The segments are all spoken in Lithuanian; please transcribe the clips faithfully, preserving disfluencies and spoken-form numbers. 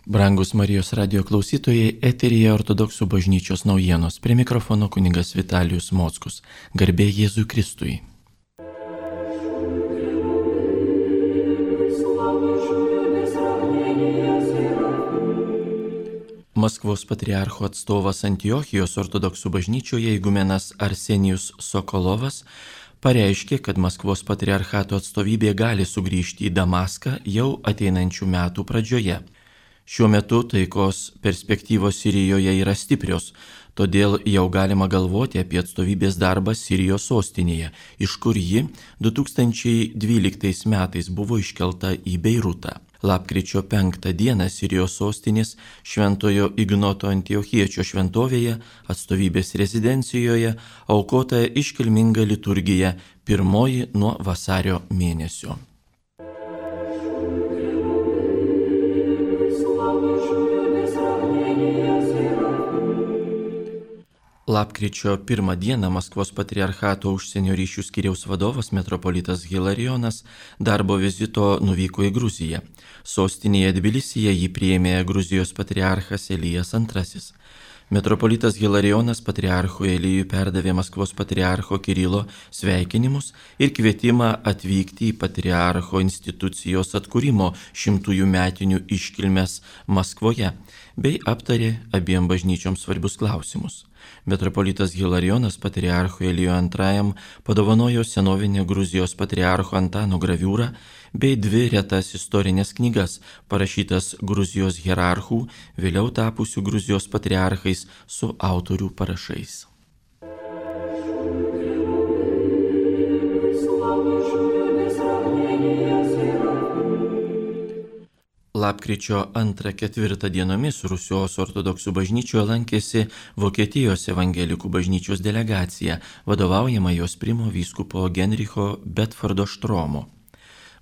Brangus Marijos radio klausytojai, eteryje Ortodoksų bažnyčios naujienos. Prie mikrofono kunigas Vitalijus Mockus. Garbė Jėzui Kristui. Maskvos patriarcho atstovas Antiochijos Ortodoksų bažnyčioje igumenas Arsenijus Sokolovas pareiškė, kad Maskvos patriarchato atstovybė gali sugrįžti į Damaską jau ateinančių metų pradžioje. Šiuo metu taikos perspektyvos Sirijoje yra stiprios, todėl jau galima galvoti apie atstovybės darbą Sirijos sostinėje, iš kur ji du tūkstančiai dvyliktais metais buvo iškelta į Beirutą. Lapkričio penktą dieną Sirijos sostinės Šventojo Ignoto Antiochiečio šventovėje atstovybės rezidencijoje aukota iškilminga liturgija, pirmoji nuo vasario mėnesio. Lapkričio pirmą dieną Maskvos patriarchato užsienio ryšių skyriaus vadovas metropolitas Hilarijonas darbo vizito nuvyko į Gruziją. Sostinėje Tbilisyje jį priėmė Gruzijos patriarchas Elijas antrasis. Metropolitas Hilarijonas patriarchui Elijui perdavė Maskvos patriarcho Kirilo sveikinimus ir kvietimą atvykti į patriarcho institucijos atkūrimo šimtųjų metinių iškilmes Maskvoje, bei aptarė abiem bažnyčioms svarbius klausimus. Metropolitas Hilarijonas patriarchui Elijui antrajam padovanojo senovinę Gruzijos patriarcho Antano graviūrą bei dvi retas istorinės knygas, parašytas Gruzijos hierarchų, vėliau tapusių Gruzijos patriarchais su autorių parašais. Lapkričio antrą ketvirtą dienomis Rusijos ortodoksų bažnyčioje lankėsi Vokietijos evangelikų bažnyčios delegacija, vadovaujama jos primo vyskupo Genricho Bedfordo Štromo.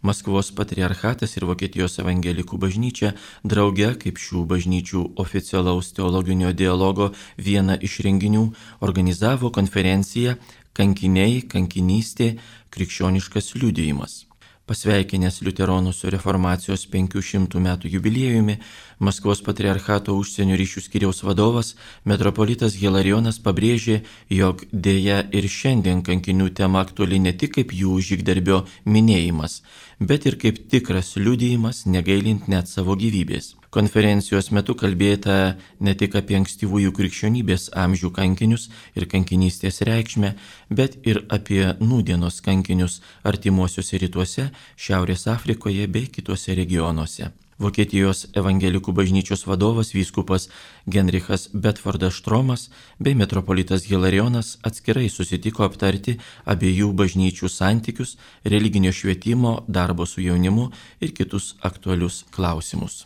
Maskvos patriarchatas ir Vokietijos evangelikų bažnyčia drauge, kaip šių bažnyčių oficialaus teologinio dialogo vieną iš renginių, organizavo konferenciją Kankiniai, kankinystė, krikščioniškas liudijimas. Pasveikinęs liuteronų su reformacijos penkių šimtų metų jubiliejumi, Maskvos patriarchato užsienio ryšių skyriaus vadovas metropolitas Hilarijonas pabrėžė, jog dėja ir šiandien kankinių tema aktuali ne tik kaip jų žygdarbio minėjimas, bet ir kaip tikras liudijimas, negailint net savo gyvybės. Konferencijos metu kalbėta ne tik apie ankstyvųjų krikščionybės amžių kankinius ir kankinystės reikšmę, bet ir apie nūdienos kankinius artimuosiuose rytuose, Šiaurės Afrikoje bei kituose regionuose. Vokietijos evangelikų bažnyčios vadovas vyskupas Genrichas Bedfordas Štromas bei metropolitas Hilarijonas atskirai susitiko aptarti abiejų bažnyčių santykius, religinio švietimo, darbo su jaunimu ir kitus aktualius klausimus.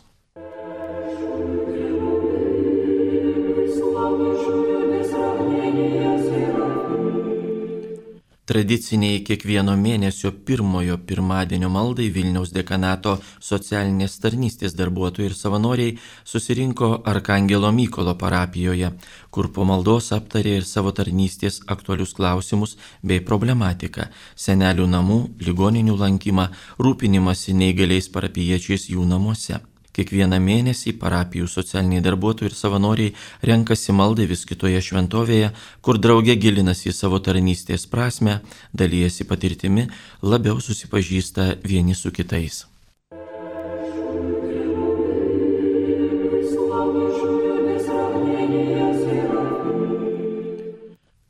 Tradiciniai kiekvieno mėnesio pirmojo pirmadienio maldai Vilniaus dekanato socialinės tarnystės darbuotojai ir savanoriai susirinko Arkangelo Mykolo parapijoje, kur po maldos aptarė ir savo tarnystės aktualius klausimus bei problematiką - senelių namų, ligoninių lankymą, rūpinimąsi neįgaliais parapijiečiais jų namuose. Kiekvieną mėnesį parapijų socialiniai darbuotojai ir savanoriai renkasi maldai vis kitoje šventovėje, kur drauge gilinasi į savo tarnystės prasmę, dalyjasi patirtimi, labiau susipažįsta vieni su kitais.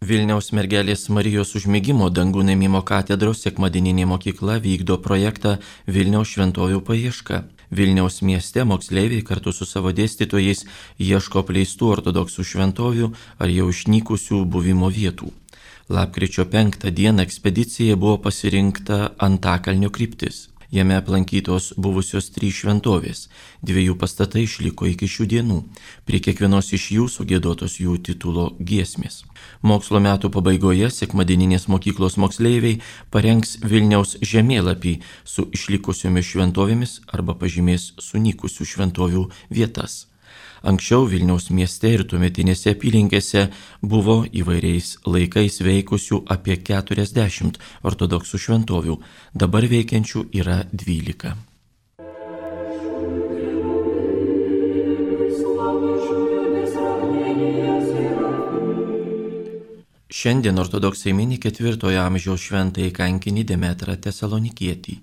Vilniaus mergelės Marijos užmigimo dangų ėmimo katedros sekmadieninė mokykla vykdo projektą Vilniaus šventovių paieška. Vilniaus mieste moksleiviai kartu su savo dėstytojais ieško apleistų ortodoksų šventovių ar jau išnykusių buvimo vietų. Lapkričio penktą dieną ekspedicijai buvo pasirinkta Antakalnio kryptis. Jame aplankytos buvusios trys šventovės, dviejų pastatai išliko iki šių dienų, prie kiekvienos iš jų sugiedotos jų titulo giesmės. Mokslo metų pabaigoje sekmadieninės mokyklos moksleiviai parengs Vilniaus žemėlapį su išlikusiomis šventovėmis arba pažymės sunykusių šventovių vietas. Anksčiau Vilniaus mieste ir tuometinėse apylinkėse buvo įvairiais laikais veikusių apie keturiasdešimt ortodoksų šventovių, dabar veikiančių yra dvylika. Šiandien ortodoksai mini ketvirtojo amžiaus šventąjį kankinį Demetrą Tesalonikietį.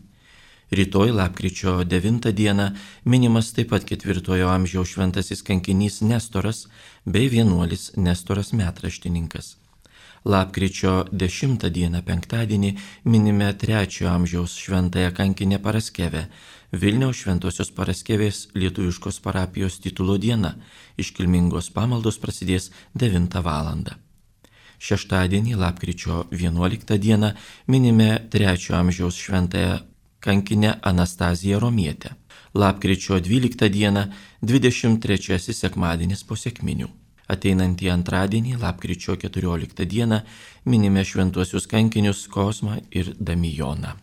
Rytoj lapkričio devintą dieną minimas taip pat ketvirtojo amžiaus šventasis kankinys Nestoras bei vienuolis Nestoras metraštininkas. Lapkričio dešimtą dieną penktadienį minime trečiojo amžiaus šventąją kankinę Paraskevę, Vilniaus Šventosios Paraskevės lietuviškos parapijos titulo diena. Iškilmingos pamaldos prasidės devintą valandą. Šeštadienį, lapkričio vienuoliktą dieną, minime trečiojo amžiaus šventąją kankinę Anastaziją Romietę. Lapkričio dvyliktą dieną, dvidešimt trečiasis sekmadienis po sekminių. Ateinantį antradienį, lapkričio keturioliktą dieną, minime šventuosius kankinius Kosmą ir Damijoną.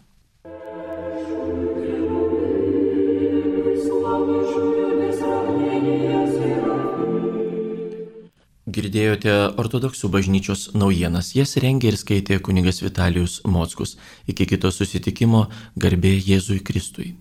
Girdėjote ortodoksų bažnyčios naujienas, jas rengė ir skaitė kunigas Vitalijus Mockus. Iki kito susitikimo, garbė Jėzui Kristui.